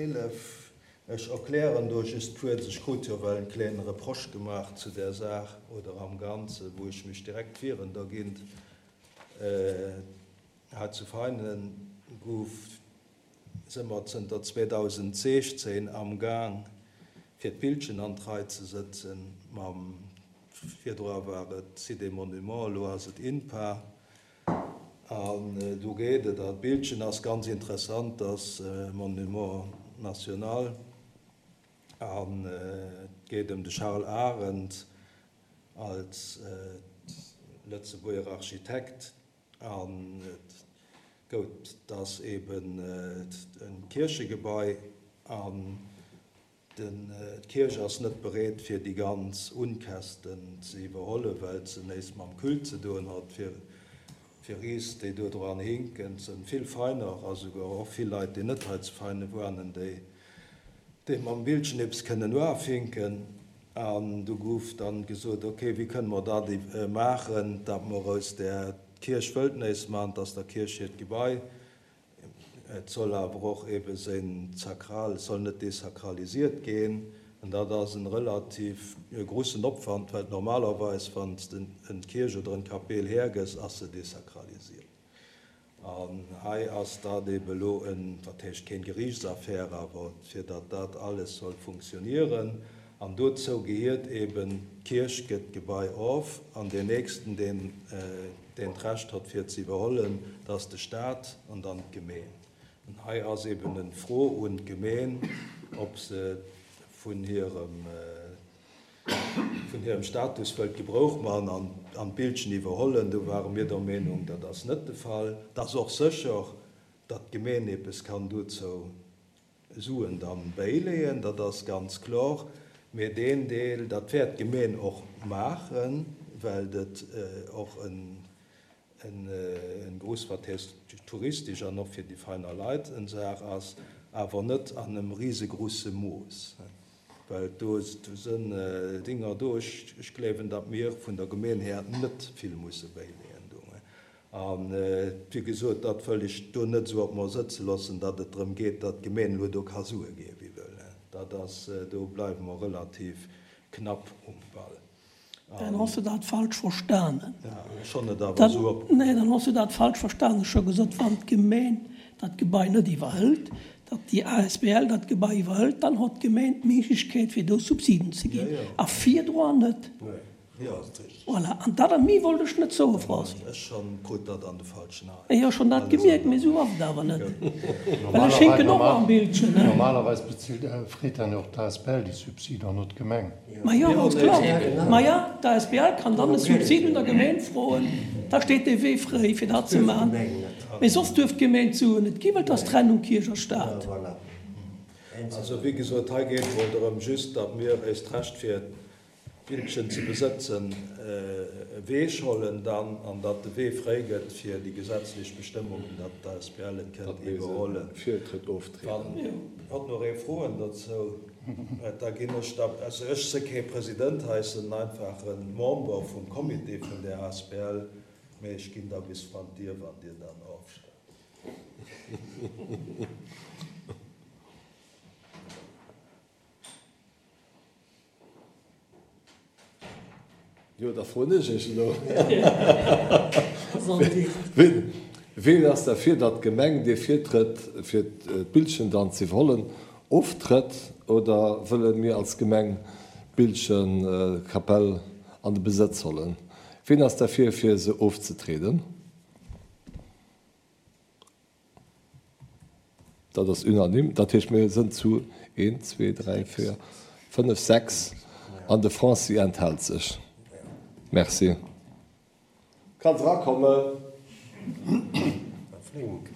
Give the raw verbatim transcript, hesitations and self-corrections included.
eelef. Ech erklären do just kuerz, ech krut jo well en kleene Reproche gemaach zu där Saach oder am Ganze wou ech mech direkt wieren dergint. Hei zu Veinen gouf, si mer zënter zweedausendsiechzehn amgaang fir d'Bildchen an d'Rei ze sëtzen mam, virdru war et Site des Monuments, elo ass et INPA. An do geet et, a d'Bildchen ass ganz interessant, ass e Monument national an et geet ëm de Charles Arendt als Lëtzebuerger Architekt an et gout, et ass eben e Kierchegebai an d'Kierch ass net bereet fir déi ganz Unkästen ze iwwerhollen, well se néis mam Culte ze doen hat. Fir fir is, déi do dran hinken, et sënn vill Veiner a souguer och vill Leit, déi net hei zu Veine wuanen, déi déi mam Bildchen eppes kënnen uafinken. An du gouf dann gesot, ok, wéi kënne mer dat maachen, datt mer aus där d'Kierch wëllt néis man, 't ass der Kierch hiert Gebai, et soll awer och ebe seng sakral, et soll net desakralisiert ginn. An dat ass en relativ grussen Opwand, well normalerweis, wann s de en Kierch oder en Kapeel hergëss, ass se desakralisiert. An hei ass dat ebe elo en, wat heescht keen Geriichtsaffär, awer fir datt dat alles soll funktionieren. An dozou gehiert eben, d'Kierch gëtt d'Gebai of an deen nächsten, deen deen d'Recht hott fir et ze iwwerhollen, dat ass de Staat an dann d'Gemeen. An hei ass eben en Fro un d'Gemeen, ob se vun hirem vun hirem Status wëllt Gebrouch man an an d'Bildchen iwwerhollen. Do ware mir der Meenung, dat ass net de Fall. Et ass och sécher, datt d'Gemeen eppes kann dozou Suen dann bäileeën, dat ass ganz klor. Mee deen Deel, dat wäert d'Gemeen och maachen, well et och en en gruss, wat heescht touristesch an och fir déi feiner Leit en Saach ass, awer net an em risegrusse Mooss, well do sënn Dinger do. Ech gleewen, datt mir vun der Gemeen här net vill musse bäileeën do. A wéi gesot, dat wëll ech do net esou op mer sëtze loossen, datt et drëm geet, datt d'Gemeen elo do ka Sue ginn, wéi wëll. Dat ass, do bleiwe mer relativ knapp um Ball. Dann has du dat falsch verstanen. Ech honn et awer esou op. Nee, dann has du dat falsch verstanen. Ech hu gesot, wann d'Gemeen dat Gebai net iwwerhëlt, datt déi asbl dat Gebai iwwerhëlt, dann hott d'Gemeen d'Méiglechkeet fir do Subsiden ze ginn a virdroan net. Voilà, an dat a méi wollt ech net soen, Franci. Ech schonn krut dat an de falschen Aen. Jo, schonn dat gemierkt, mee esou ass et awer net, well ech hinken och am Bildchen. Normalerweis bezilt, freet dann jo och d'asbl déi Subside an net d'Gemeng. Ma jo, ganz kloer. Ma ja, d'asbl kann dann e Subsid un der Gemeng froen, da steet dee Wee fréi fir dat ze maachen. Mee soss duerf d'Gemeng d'Suen net ginn, well et ass Trennung Kierch a Staat. Also, wéi gesot, hei geet et mol drëm just, datt mir éist Recht fir Bildchen ze besëtzen, e Wee schollen dann, an datt de Wee fréi gëtt fir déi gesetzlech Bestëmmungen, datt d'asbl et kënnt iwwerhollen. Wann hatt nach ee Froen dozou huet, da ginn ech da, also ech si kee President hei, ech sinn en einfache Member vum Comité vun där asbl, mee ech ginn da bis vrun d'Dier, wann Dir dann ofstëmmt. Jo, da froen ech Iech elo, Ween ass derfir, datt d'Gemeng dee Virtrëtt, fir d'Bildchen dann ze iwwerhollen, oftrëtt? Oder wëlle mir als Gemeng d'Bildchen-Kapell an de Besëtz hollen? Ween ass derfir, fir se ofzetrieden? Dat ass unanime. Dat heescht, mir sënn zu een, zwee, dräi, véier, fënnef, sechs an de Franci enthält sech. Merci. Kanns erakommen. Flink.